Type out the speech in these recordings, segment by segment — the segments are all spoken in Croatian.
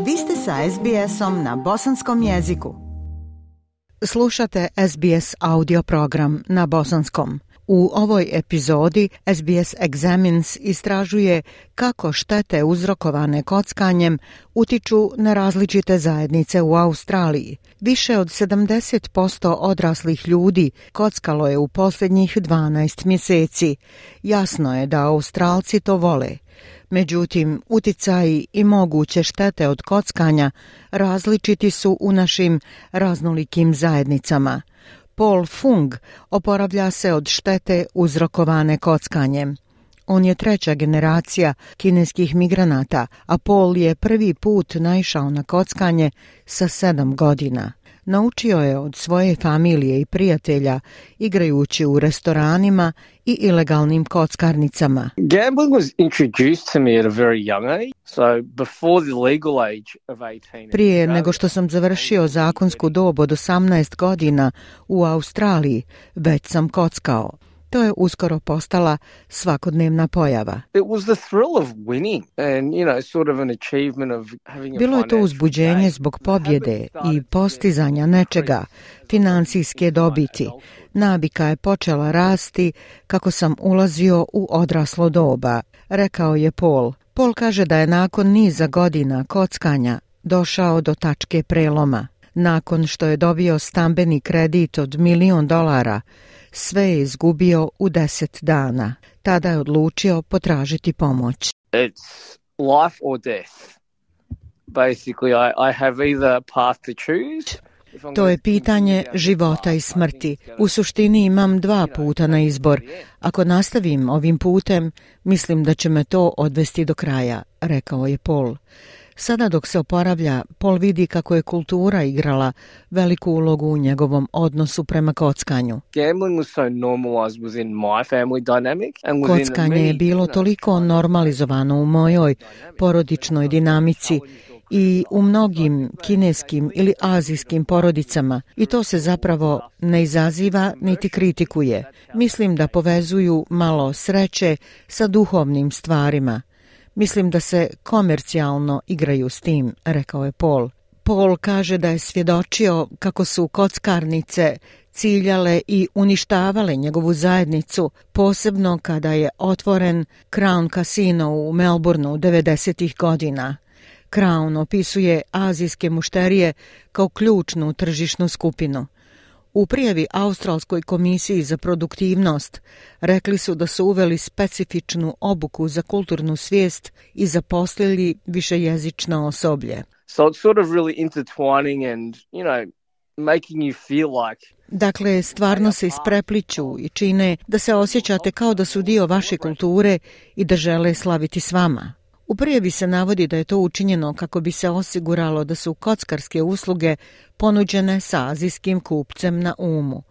Vi ste sa SBS-om na bosanskom jeziku. Slušate SBS audio program na bosanskom. U ovoj epizodi SBS Examines istražuje kako štete uzrokovane kockanjem utiču na različite zajednice u Australiji. Više od 70% odraslih ljudi kockalo je u posljednjih 12 mjeseci. Jasno je da Australci to vole. Međutim, uticaji i moguće štete od kockanja različiti su u našim raznolikim zajednicama. Paul Fung oporavlja se od štete uzrokovane kockanjem. On je treća generacija kineskih migranata, a Paul je prvi put naišao na kockanje sa 7 godina. Naučio je od svoje familije i prijatelja igrajući u restoranima i ilegalnim kockarnicama. Gambling was introduced to me at a very young age, so before the legal age of 18. Prije nego što sam završio zakonsku dob od 18 godina u Australiji, već sam kockao. To je uskoro postala svakodnevna pojava. It was the thrill of winning and, sort of an achievement of having a Bilo je to uzbuđenje zbog pobjede i postizanja nečega, financijske dobiti. Navika je počela rasti kako sam ulazio u odraslo doba, rekao je Paul. Paul kaže da je nakon niza godina kockanja došao do tačke preloma. Nakon što je dobio stambeni kredit od $1 milion, sve je izgubio u 10 dana. Tada je odlučio potražiti pomoć. It's life or death. Basically, I have either path to choose. To je pitanje života i smrti. U suštini imam 2 puta na izbor. Ako nastavim ovim putem, mislim da će me to odvesti do kraja, rekao je Paul. Sada dok se oporavlja, Paul vidi kako je kultura igrala veliku ulogu u njegovom odnosu prema kockanju. Kockanje je bilo toliko normalizovano u mojoj porodičnoj dinamici i u mnogim kineskim ili azijskim porodicama i to se zapravo ne izaziva niti kritikuje. Mislim da povezuju malo sreće sa duhovnim stvarima. Mislim da se komercijalno igraju s tim, rekao je Paul. Paul kaže da je svjedočio kako su kockarnice ciljale i uništavale njegovu zajednicu, posebno kada je otvoren Crown Casino u Melbourneu 90-ih godina. Crown opisuje azijske mušterije kao ključnu tržišnu skupinu. U prijavi Australskoj komisiji za produktivnost rekli su da su uveli specifičnu obuku za kulturnu svijest i zaposlili višejezično osoblje. So it's sort of really intertwining and, making you feel like. Dakle, stvarno se isprepliću i čine da se osjećate kao da su dio vaše kulture i da žele slaviti s vama. U prijavi se navodi da je to učinjeno kako bi se osiguralo da su kockarske usluge ponuđene sa azijskim kupcem na umu.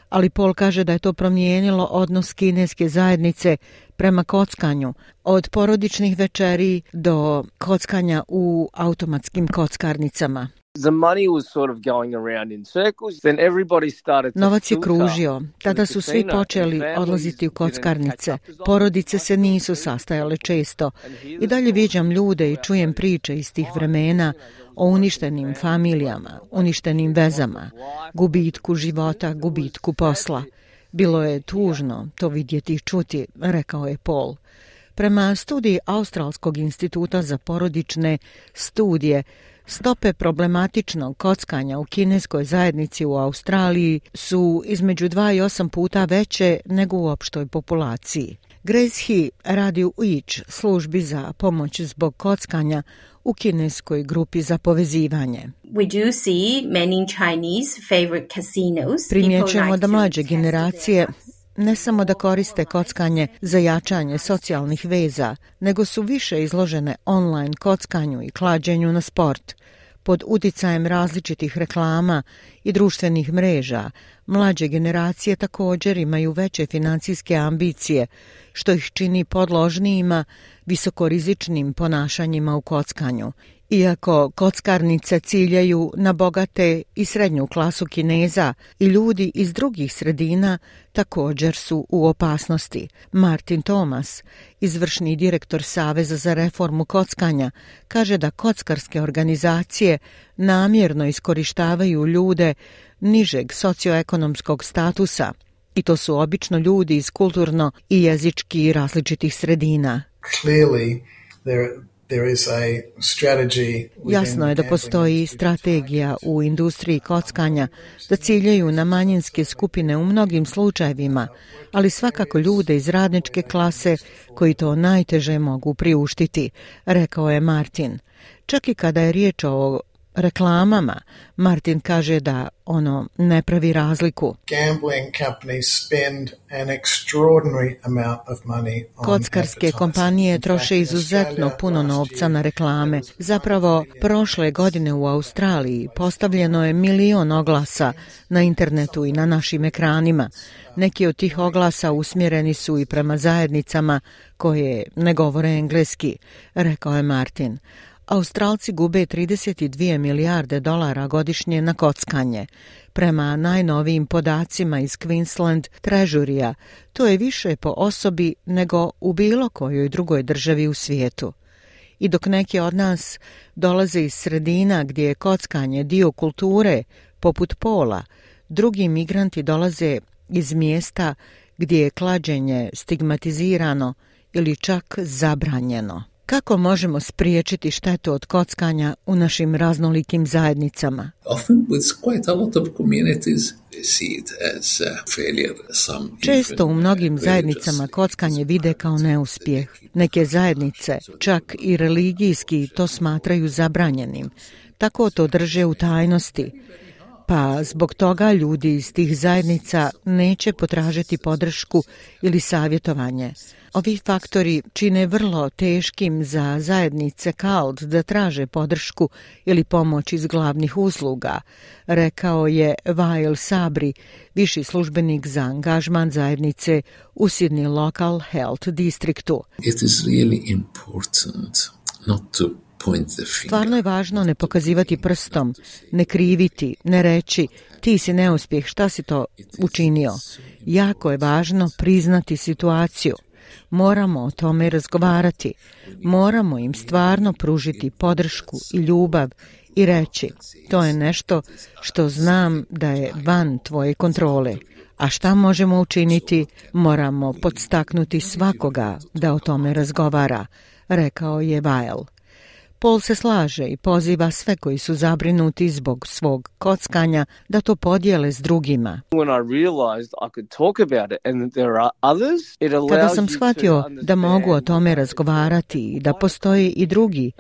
Ali Paul kaže da je to promijenilo odnos kineske zajednice prema kockanju, od porodičnih večeri do kockanja u automatskim kockarnicama. The money was sort of going around in circles. Then everybody started to Novac je kružio. Tada su svi počeli odlaziti u kockarnice. Porodice se nisu sastajale često. I dalje viđam ljude i čujem priče iz tih vremena o uništenim familijama, uništenim vezama, gubitku života, gubitku posla. Bilo je tužno to vidjeti i čuti, rekao je Paul. Prema studiji Australskog instituta za porodične studije, stope problematičnog kockanja u kineskoj zajednici u Australiji su između 2 i 8 puta veće nego u opštoj populaciji. Grace He radi u Each, službi za pomoć zbog kockanja u kineskoj grupi za povezivanje. We do see many Chinese favorite casinos. Primjećujemo da mlađe generacije ne samo da koriste kockanje za jačanje socijalnih veza, nego su više izložene online kockanju i klađenju na sport. Pod uticajem različitih reklama i društvenih mreža, mlađe generacije također imaju veće financijske ambicije, što ih čini podložnijima visokorizičnim ponašanjima u kockanju Iako kockarnice ciljaju na bogate i srednju klasu Kineza i ljudi iz drugih sredina također su u opasnosti. Martin Thomas, izvršni direktor Saveza za reformu kockanja, kaže da kockarske organizacije namjerno iskorištavaju ljude nižeg socioekonomskog statusa i to su obično ljudi iz kulturno i jezički različitih sredina. Clearly, there is a strategy. Jasno je da postoji strategija u industriji kockanja da ciljaju na manjinske skupine u mnogim slučajevima, ali svakako ljude iz radničke klase koji to najteže mogu priuštiti, rekao je Martin. Čak i kada je riječ o reklamama, Martin kaže da ono ne pravi razliku. Kockarske kompanije troše izuzetno puno novca na reklame. Zapravo, prošle godine u Australiji postavljeno je 1 milion oglasa na internetu i na našim ekranima. Neki od tih oglasa usmjereni su i prema zajednicama koje ne govore engleski, rekao je Martin. Australci gube 32 milijarde dolara godišnje na kockanje. Prema najnovijim podacima iz Queensland Treasurya, to je više po osobi nego u bilo kojoj drugoj državi u svijetu. I dok neki od nas dolaze iz sredina gdje je kockanje dio kulture, poput Pola, drugi migranti dolaze iz mjesta gdje je klađenje stigmatizirano ili čak zabranjeno. Kako možemo spriječiti štetu od kockanja u našim raznolikim zajednicama? Često u mnogim zajednicama kockanje vide kao neuspjeh. Neke zajednice, čak i religijski, to smatraju zabranjenim. Tako to drže u tajnosti. Pa zbog toga ljudi iz tih zajednica neće potražiti podršku ili savjetovanje. Ovi faktori čine vrlo teškim za zajednice CALD da traže podršku ili pomoć iz glavnih usluga, rekao je Wael Sabri, viši službenik za angažman zajednice u Sydney Local Health Districtu. It is really important not to Stvarno je važno ne pokazivati prstom, ne kriviti, ne reći ti si neuspjeh, šta si to učinio. Jako je važno priznati situaciju. Moramo o tome razgovarati. Moramo im stvarno pružiti podršku i ljubav i reći to je nešto što znam da je van tvoje kontrole. A šta možemo učiniti? Moramo podstaknuti svakoga da o tome razgovara, rekao je Wael. Paul se slaže i poziva sve koji su zabrinuti zbog svog kockanja da to podijele s drugima. Kada sam shvatio da mogu o tome razgovarati i da postoji i drugi,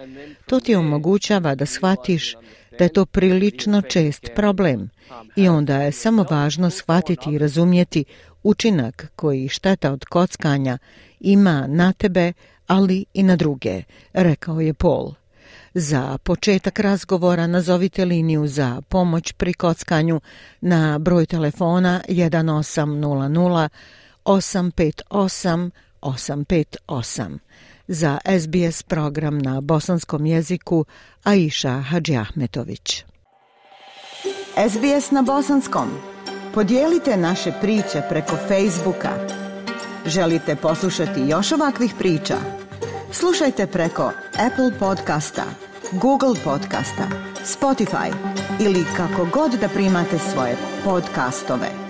to ti omogućava da shvatiš da je to prilično čest problem i onda je samo važno shvatiti i razumjeti učinak koji šteta od kockanja ima na tebe, ali i na druge, rekao je Paul. Za početak razgovora nazovite liniju za pomoć pri kockanju na broj telefona 1800 858 858. Za SBS program na bosanskom jeziku Aisha Hadžiahmetović. SBS na bosanskom. Podijelite naše priče preko Facebooka. Želite poslušati još ovakvih priča? Slušajte preko Apple podcasta, Google podcasta, Spotify ili kako god da primate svoje podcastove.